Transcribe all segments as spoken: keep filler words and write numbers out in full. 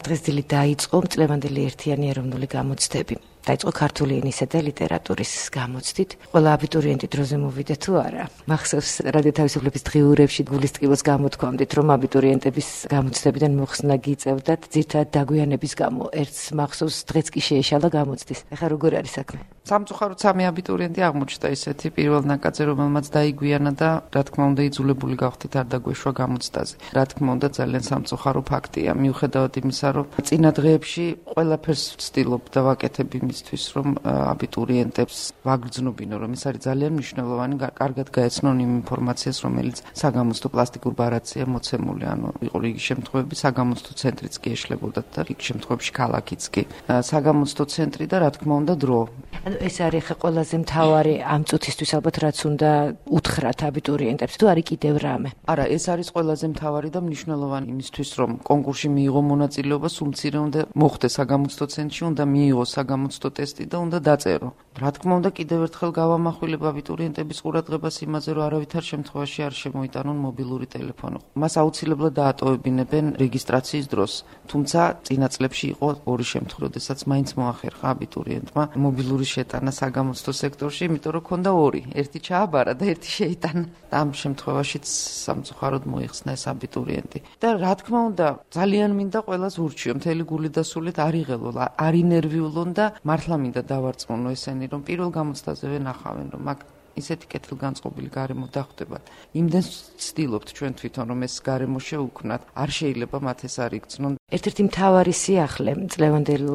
დღესდღეობით დაიწყო წლევანდელი ერთიანი ეროვნული გამოცდები. დაიწყო ქართული ენისა და ლიტერატურის გამოცდით. ყველა აბიტურიენტი დროზე მოვიდა თუ არა. მახსოვს რადიო თავისუფლების დღიურებში გულისწყროს გამოთქვამდით, რომ აბიტურიენტების გამოცდებიდან მოხსნა გიწევდათ ძირთად დაგვიანების გამო. ერთს მახსოვს დღეც კი შეეშალა გამოცდის. ეხლა როგორ არის საქმე? სამწუხაროდ სამი აბიტურიენტი აღმოჩნდა ისეთი პირველ ნაკადზე, რომელმაც დაიგვიანა და რა თქმა უნდა იძულებული გავხდით არ დაგვეშვა გამოცდაზე. რა თქმა უნდა ძალიან სამწუხარო ფაქტია, მიუხედავად იმისა, რომ წინა დღეებში ყველაფერს ვცდილობ და ვაკეთებ იმისთვის, რომ აბიტურიენტებს ვაგრძნობინო, რომ ეს არის ძალიან მნიშვნელოვანი, კარგად გაეცნონ იმ ინფორმაციას, რომელიც საგამოცდო პლასტიკურ ბარათზეა მოცემული, ანუ იყო რიგი შემთხვევები საგამოცდო ცენტრიც კი ეშლებოდათ და რიგი შემთხვევებში ქალაქიც კი. საგამოცდო ცენტრი და რა თქმა უნდა დრო. ანუ ეს არის ხა ყველაზე მთავარი ამ წუთისთვის ალბათ რაც უნდა უთხრათ აბიტურიენტებს თუ არის კიდევ რამე? არა, ეს არის ყველაზე მთავარი და მნიშვნელოვანი იმისთვის, რომ კონკურსში მიიღო მონაწილეობა, სულ მცირე უნდა მოხდეს საგამოცდო ცენტრში, უნდა მიიღოს საგამოცდო ტესტი და უნდა დაწერო. რა თქმა უნდა კიდევ ერთხელ გავამახვილებ აბიტურიენტების ყურადღებას იმაზე, რომ არავითარ შემთხვევაში არ შემოიტანონ მობილური ტელეფონი. მას აუცილებლად დაატოვებინებენ რეგისტრაციის დროს. თუმცა წინა წლებში იყო ორი შემთხვევა, როდესაც მაინც მოახერხა აბიტურიენტმა მობილური შეტანა საგამოცდო სექტორში, იმიტომ რომ ქონდა ორი, ერთი ჩააბარა და ერთი შეიტანა. და ამ შემთხვევაშიც სამწუხაროდ მოიხსნა ეს აბიტურიენტი. და რა თქმა უნდა, ძალიან მინდა ყველას ურჩიო, მთელი გული და სულით არ იღელო, არ ინერვიულონ და მართლა მინდა დავარწმუნო ესენი, რომ პირველ გამოცდაზევე ნახავენ, რომ მაგ ისეთი კეთილგანწყობილი გარემო დახვდებათ. იმდენს ვცდილობთ ჩვენ თვითონ, რომ ეს გარემო შეუქმნათ, არ შეიძლება მათ ეს არ იგრძნონ. ერთ-ერთი მთავარი სიახლე წლევანდელ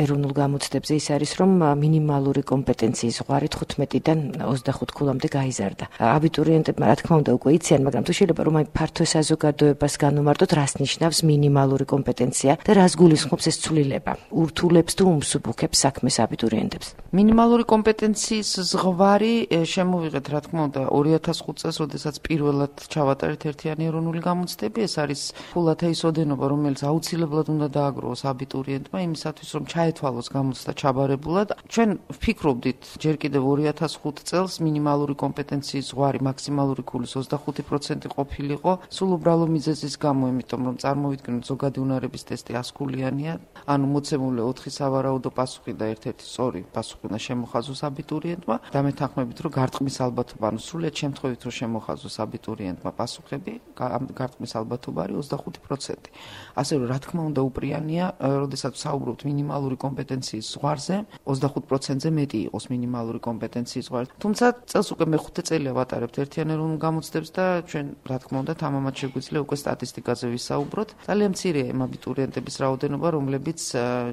ეროვნულ გამოცდებზე ის არის, რომ მინიმალური კომპეტენციის ზღვარი თხუთმეტიდან ოცდახუთ ქულამდე გაიზარდა. აბიტურიენტებმა რა თქმა უნდა უკვე იციან, მაგრამ თუ შეიძლება რომ აი ფართო საზოგადოებას განუმარტოთ, რას ნიშნავს მინიმალური კომპეტენცია და რას გულისხმობს ეს ცვლილება? ურთულებს თუ უმსუბუქებს საქმეს აბიტურიენტებს? მინიმალური კომპეტენციის ზღვარი შემოვიღეთ, რა თქმა უნდა, ორი ათას ხუთ წელს, როდესაც პირველად ჩავატარეთ ერთიანი ეროვნული გამოცდები, ეს არის ფულათა ის ოდენობა, რომელიც აუცილებლად უნდა დააგროვოს აბიტურიენტმა იმისათვის, რომ ჩაეთვალოს გამოცდა ჩაბარებულად. ჩვენ ვფიქრობდით ჯერ კიდევ ორი ათას ხუთ წელს მინიმალური კომპეტენციის ზღვარი მაქსიმალური ქულის ოცდახუთი პროცენტი ყოფილიყო, სულ უბრალო მიზეზის გამო, იმიტომ რომ წარმოვიდგინოთ ზოგადი უნარების ტესტი ას ქულიანია, ანუ მოცემული ოთხი სავარაუდო პასუხი და ერთ-ერთი სწორი პასუხი უნდა შემოხაზოს აბიტურიენტმა და მეთანხმებით, რომ გარტყმის ალბათობა, ანუ სრულიად შემთხვევით რომ შემოხაზოს აბიტურიენტმა პასუხები, გარტყმის ალბათობა არის ოცდახუთი პროცენტი. ასე რომ რა თქმა უნდა უპრიანია, როდესაც საუბრობთ მინიმალური კომპეტენციის ზღვარზე, ოცდახუთ პროცენტზე მეტი იყოს მინიმალური კომპეტენციის ზღვარი. თუმცა წელს უკვე მეხუთე წელია ვატარებთ ერთიან ეროვნულ გამოცდებს და ჩვენ რა თქმა უნდა თამამად შეგვიძლია უკვე სტატისტიკაზე ვისაუბროთ. ძალიან მცირეა იმ აბიტურიენტების რაოდენობა, რომლებიც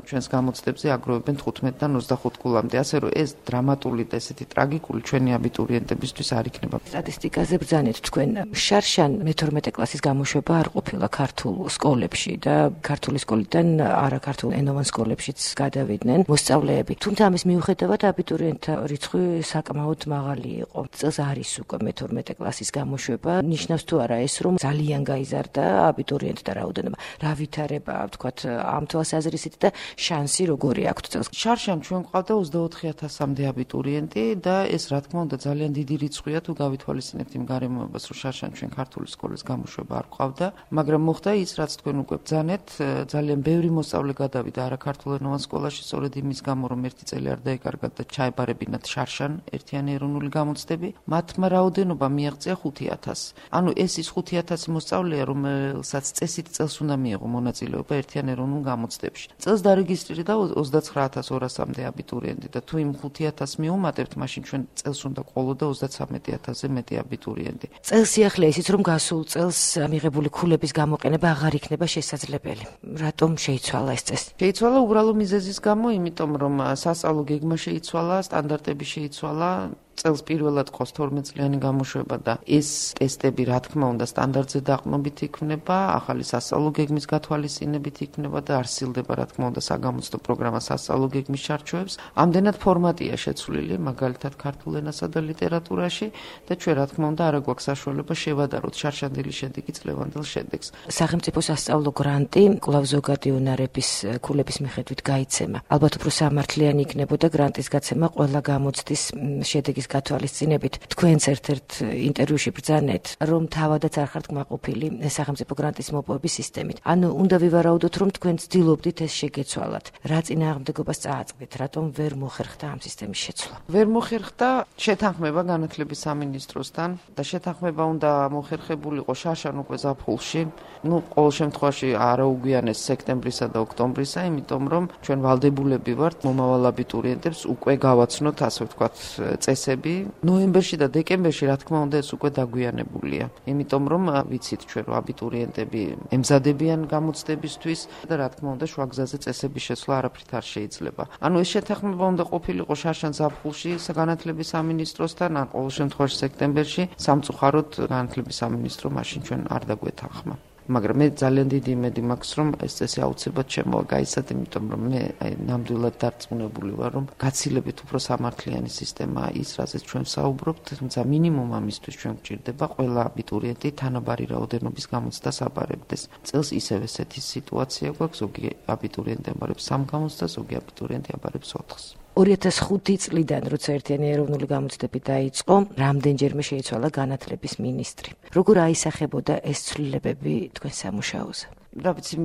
ჩვენს გამოცდებზე აგროვებენ თხუთმეტიდან ოცდახუთ ქულამდე. ასე რომ ეს დრამატული და ესეთი ტრაგიკული ჩვენი აბიტურიენტებისთვის არ იქნება. სტატისტიკაზე ბრძანეთ თქვენ. შარშან მეთორმეტე კლასის გამოშვება არ ყოფილა ქართულ სკოლებში და ქართული სკოლიდან არაქართულ ენოვან სკოლებშიც გადავიდნენ მოსწავლეები. თუმცა ამის მიუხედავად აბიტურიენტთა რიცხვი საკმაოდ მაღალი იყო. წელს არის უკვე მეთორმეტე კლასის გამოშვება. ნიშნავს თუ არა ეს, რომ ძალიან გაიზარდა აბიტურიენტთა რაოდენობა. რა ვითარება, ვთქვათ, ამ თვალსაზრისით და შანსი როგორი აქვს წელს? შარშან ჩვენ ყავდა ოცდაოთხი ათასამდე აბიტურიენტი და ეს რა თქმა უნდა ძალიან დიდი რიცხვია თუ გავითვალისწინებთ იმ გარემოებას, რომ შარშან ჩვენ ქართული სკოლის გამოშვება არ ყავდა, მაგრამ მოხდა ის, რაც თქვენ უკვე ბრძანეთ, ძალიან ბევრი მოსწავლე გადავიდა არაქართულ ენოვან სკოლაში, სწორედ იმის გამო, რომ ერთი წელი არ დაეკარგათ და ჩაებარებინათ შარშან ერთიანი ეროვნული გამოცდები, მათმა რაოდენობა მიაღწია ხუთი ათასს. ანუ ეს ის ხუთი ათასი მოსწავლეა, რომელსაც წესით წელს უნდა მიიღო მონაწილეობა ერთიან ეროვნულ გამოცდებში. წელს დარეგისტრირდა ოცდაცხრა ათას ორასამდე აბიტურიენტი და თუ იმ ხუთი ათასს მიუმატებთ, მაშინ ჩვენ წელს უნდა ყოლოდა ოცდათვრამეტი ათასზე მეტი აბიტურიენტი. წელს სიახლეა ისიც, რომ გასულ წელს მიღებული ქულების გამოყენება აღარ იქნება შესაძლებელი. რატომ შეიცვალა ეს წესი? შეიცვალა უბრალო მიზეზის გამო, იმიტომ რომ სასწავლო გეგმა შეიცვალა, სტანდარტები შეიცვალა. წელს პირველად ყავს თორმეტ წლიანი გამოშვება და ეს ტესტები რა თქმა უნდა სტანდარტზე დაყრდნობით იქნება, ახალი სასწავლო გეგმის გათვალისწინებით იქნება და არ სცილდება რა თქმა უნდა საგამოცდო პროგრამა სასწავლო გეგმის ჩარჩოებს. ამდენად ფორმატია შეცვლილი, მაგალითად ქართულ ენასა და ლიტერატურაში და ჩვენ რა თქმა უნდა არ გვაქვს საშუალება შევადაროთ შარშანდელი შედეგი წლევანდელ შედეგს. სახელმწიფო სასწავლო გრანტი კვლავ ზოგადი უნარების ქულების მიხედვით გაიცემა. ალბათ უფრო სამართლიანი იქნებოდა გრანტის გაცემა ყველა გამოცდის შედეგის გათვალისწინებით თქვენს ერთ-ერთ ინტერვიუში ბრძანეთ, რომ თავადაც არ ხართ კმაყოფილი სახელმწიფო გრანტის მოპოვების სისტემით. ანუ უნდა ვივარაუდოთ, რომ თქვენ ცდილობდით ეს შეგეცვალათ. რა წინააღმდეგობას წააწყდით, რატომ ვერ მოხერხდა ამ სისტემის შეცვლა? ვერ მოხერხდა შეთანხმება განათლების სამინისტროსთან და შეთანხმება უნდა მოხერხებულიყო შარშან უკვე ზაფხულში. ნუ ყოველ შემთხვევაში არაუგვიანეს სექტემბრისა და ოქტომბრისა, იმიტომ რომ ჩვენ ვალდებულები ვართ მომავალ აბიტურიენტებს უკვე გავაცნოთ, ასე ვთქვათ, წესები. ნოემბერში და დეკემბერში, რა თქმა უნდა, ეს უკვე დაგვიანებულია. იმიტომ რომ ვიცით ჩვენ რომ აბიტურიენტები ემზადებიან გამოცდებისთვის და რა თქმა უნდა შუაგზაზე წესების შეცვლა არაფრით არ შეიძლება. ანუ ეს შეთანხმება უნდა ყოფილიყო შარშან ზაფხულში განათლების სამინისტროსთან, ან ყოველ შემთხვევაში სექტემბერში, სამწუხაროდ განათლების სამინისტრო მაშინ ჩვენ არ დაგვეთანხმა. მაგრამ მე ძალიან დიდი იმედი მაქვს, რომ ეს წესი აუცილებლად შემოაგაიცათ, იმიტომ რომ მე აი ნამდვილად დარწმუნებული ვარ, რომ გაცილებით უფრო სამართლიანი სისტემაა ის, რაზეც ჩვენ საუბრობთ, თუმცა მინიმუმ ამისთვის ჩვენ გვჭირდება ყველა აბიტურიენტი თანაბარი რაოდენობის გამოცდას აბარებდეს. წელს ისევ ესეთი სიტუაცია გვაქვს, ზოგი აბიტურიენტი აბარებს სამ გამოცდას, ზოგი აბიტურიენტი აბარებს ოთხს. ორი ათას ხუთი წლიდან, როცა ერთიანი ეროვნული გამოცდები დაიწყო, რამდენჯერმე შეიცვალა განათლების მინისტრი. როგორ აისახებოდა ეს ცვლილებები თქვენ სამუშაოზე? რა ვიცი,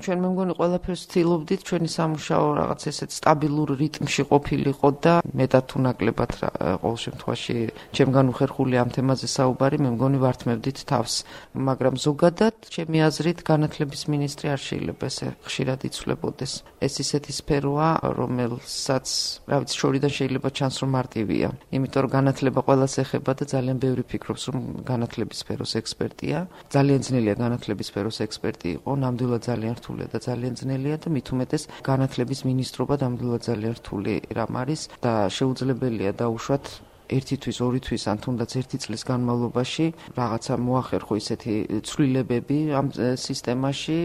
ჩვენ მე მგონი ყველაფერს ვცდილობდით, ჩვენი სამუშაო რაღაც ესეთ სტაბილურ რიტმში ყოფილიყო და მეტად თუ ნაკლებად ყოველ შემთხვევაში ჩემგან უხერხული ამ თემაზე საუბარი, მე მგონი ვართმევდით თავს, მაგრამ ზოგადად ჩემი აზრით განათლების მინისტრი არ შეიძლება ესე ხშირად იცვლებოდეს. ეს ისეთი სფეროა, რომელსაც, რა ვიცი, შორიდან შეიძლება ჩანს რომ მარტივია, იმიტომ რომ განათლება ყველას ეხება და ძალიან ბევრი ფიქრობს რომ განათლების სფეროს ექსპერტია, ძალიან ძნელია განათლების სფეროს ექსპერტი იყო, ნამდვილად ძალიან რთულია და ძალიან ძნელია და მით უმეტეს განათლების მინისტრობა ნამდვილად ძალიან რთული რამ არის და შეუძლებელია დაუშვათ ერთი თვის, ორი თვის, ან თუნდაც ერთი წლის განმავლობაში რაღაცა მოახერხო ისეთი ცვლილებები ამ სისტემაში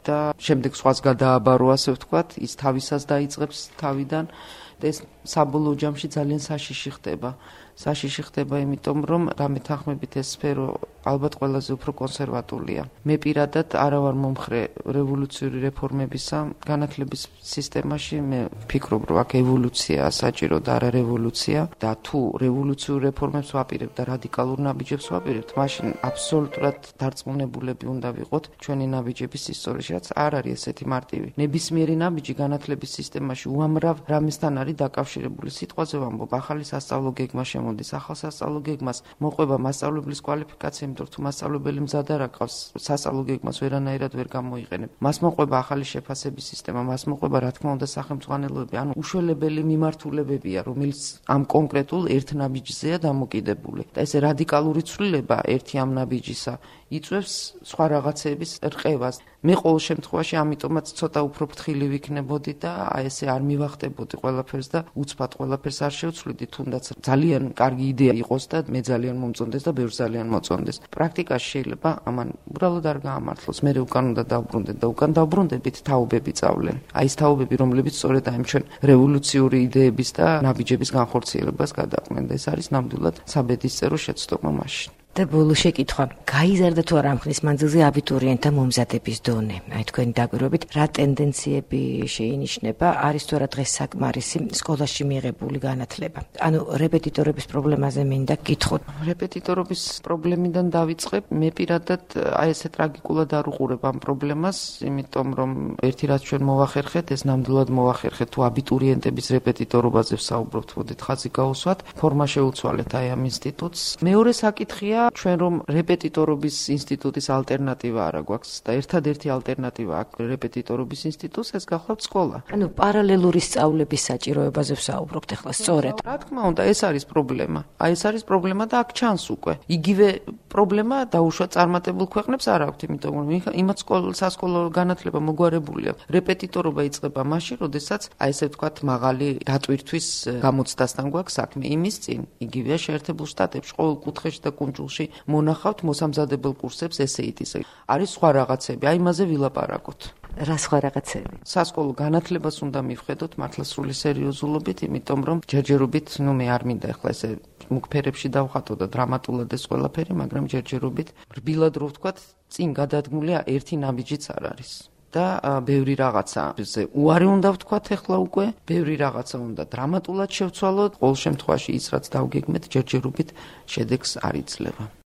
და შემდეგ სხვას გადააბარო, ასე ვთქვათ, ის თავისას დაიწყებს თავიდან და ეს საბოლოო ჯამში ძალიან საშიში ხდება. საშიში ხდება, იმიტომ რომ დამეთანხმებით ეს სფერო ალბათ ყველაზე უფრო კონსერვატულია. მე პირადად არა ვარ მომხრე რევოლუციური რეფორმებისა განათლების სისტემაში, მე ვფიქრობ, რომ აქ ევოლუციაა საჭირო და არა რევოლუცია და თუ რევოლუციურ რეფორმებს ვაპირებთ და რადიკალურ ნაბიჯებს ვაპირებთ, მაშინ აბსოლუტურად დარწმუნებულები უნდა ვიყოთ ჩვენი ნაბიჯების ისტორიაში, რაც არ არის ესეთი მარტივი. ნებისმიერი ნაბიჯი განათლების სისტემაში უამრავ რამესთან არის დაკავშირებული. სიტყვაზე ვამბობ, ახალი სასწავლო გეგმა შემოდის, ახალ სასწავლო გეგმას მოყვება მასწავლებლის კვალიფიკაცია, იმიტომ რომ თუ მასწავლებელი მზად არ აკავს, სასწავლო გეგმას ვერანაირად ვერ გამოიყენებ. მას მოყვება ახალი შეფასების სისტემა, მას მოყვება რა თქმა უნდა სახელმწიფოებები, ანუ უშველებელი მიმართულებებია, რომელიც ამ კონკრეტულ ერთ ნაბიჯზეა დამოკიდებული. და ესე რადიკალური ცვლილება ერთი ამ ნაბიჯისა იწვევს სხვა რაღაცების რყევას. მე ყოველ შემთხვევაში ამიტომაც ცოტა უფრო ფრთხილი ვიქნებოდი და აი ესე არ მივახტებოდი ყველაფერს და უცბად ყველაფერს არ შევცვლიდი, თუნდაც ძალიან კარგი იდეა იყოს და მე ძალიან მომწონდეს და ბევრს ძალიან მოწონდეს. პრაქტიკაში შეიძლება ამან უბრალოდ არ გაამართლოს. მე უკან უნდა დავბრუნდეთ და უკან დავბრუნდებით თაობები წავლენ. აი ეს თაობები, რომლებიც სწორედ აი ჩვენ რევოლუციური იდეების და ნაბიჯების განხორციელებას გადაყვნენ და ეს არის ნამდვილად საბედისწერო შეცდომა მაშინ. და ბოლო შეკითხვა, გაიზარდა თუ არა ამ ხნის მანძილზე აბიტურიენტთა მომზადების დონე? აი თქვენი დაკვირვებით, რა ტენდენციები შეინიშნება, არის თუ არა დღეს საკმარისი სკოლაში მიღებული განათლება? ანუ რეპეტიტორების პრობლემაზე მინდა გითხოთ. რეპეტიტორობის პრობლემიდან დავიწყებ. მე პირადად აი ესე ტრაგიკულად არ უყურებ ამ პრობლემას, იმიტომ რომ ერთი რაც ჩვენ მოვახერხეთ, ეს ნამდვილად მოვახერხეთ, თუ აბიტურიენტების რეპეტიტორობაზე ვსაუბრობთ, მოდით ხაზი გაუსვათ, ფორმა შეუცვალეთ აი ამ ინსტიტუტს. მეორე საკითხია ჩვენ რომ რეპეტიტორობის ინსტიტუტის ალტერნატივა არა გვაქვს და ერთადერთი ალტერნატივა აქვს რეპეტიტორობის ინსტიტუტს, ეს გახლავთ სკოლა. ანუ პარალელური სწავლების საჭიროებაზე ვსაუბრობთ ახლა სწორედ. რა თქმა უნდა, ეს არის პრობლემა. აი ეს არის პრობლემა და აქ ჩანს უკვე. იგივე პრობლემა დაუშვათ წარმატებულ ქვეყნებს არ აქვს, იმიტომ რომ იმათ სკოლა სასკოლო განათლება მოგვარებულია. რეპეტიტორობა იწყება მაშინ, როდესაც აი ესე ვთქვათ, მაღალი დატვირთვის გამოცდასთან გვაქვს საქმე. იმის წინ იგივეა შეერთებულ შტატებში ყოველ კუთხეში და კუნძულში მონახავთ მოსამზადებელ კურსებს ესეიტის. არის სხვა რაღაცები, აი იმაზე ვილაპარაკოთ. რა სხვა რაღაცები? სასკოლო განათლებას უნდა მივხედოთ მართლა სრული სერიოზულობით, იმიტომ რომ ჯერჯერობით, ნუ მე არ მინდა ახლა ესე მუქფერებში დავხატო და დრამატულად ეს ყველაფერი, მაგრამ ჯერჯერობით რბილად რო ვთქვათ, წინ გადადგმულია ერთი ნაბიჯიც არ არის. და ბევრი რაღაცა ზე უარი უნდა ვთქვათ ახლა უკვე, ბევრი რაღაცა უნდა დრამატულად შევცვალოთ, ყოველ შემთხვევაში ის რაც დავგეგმეთ ჯერჯერობით შედეგს არ იძლევა.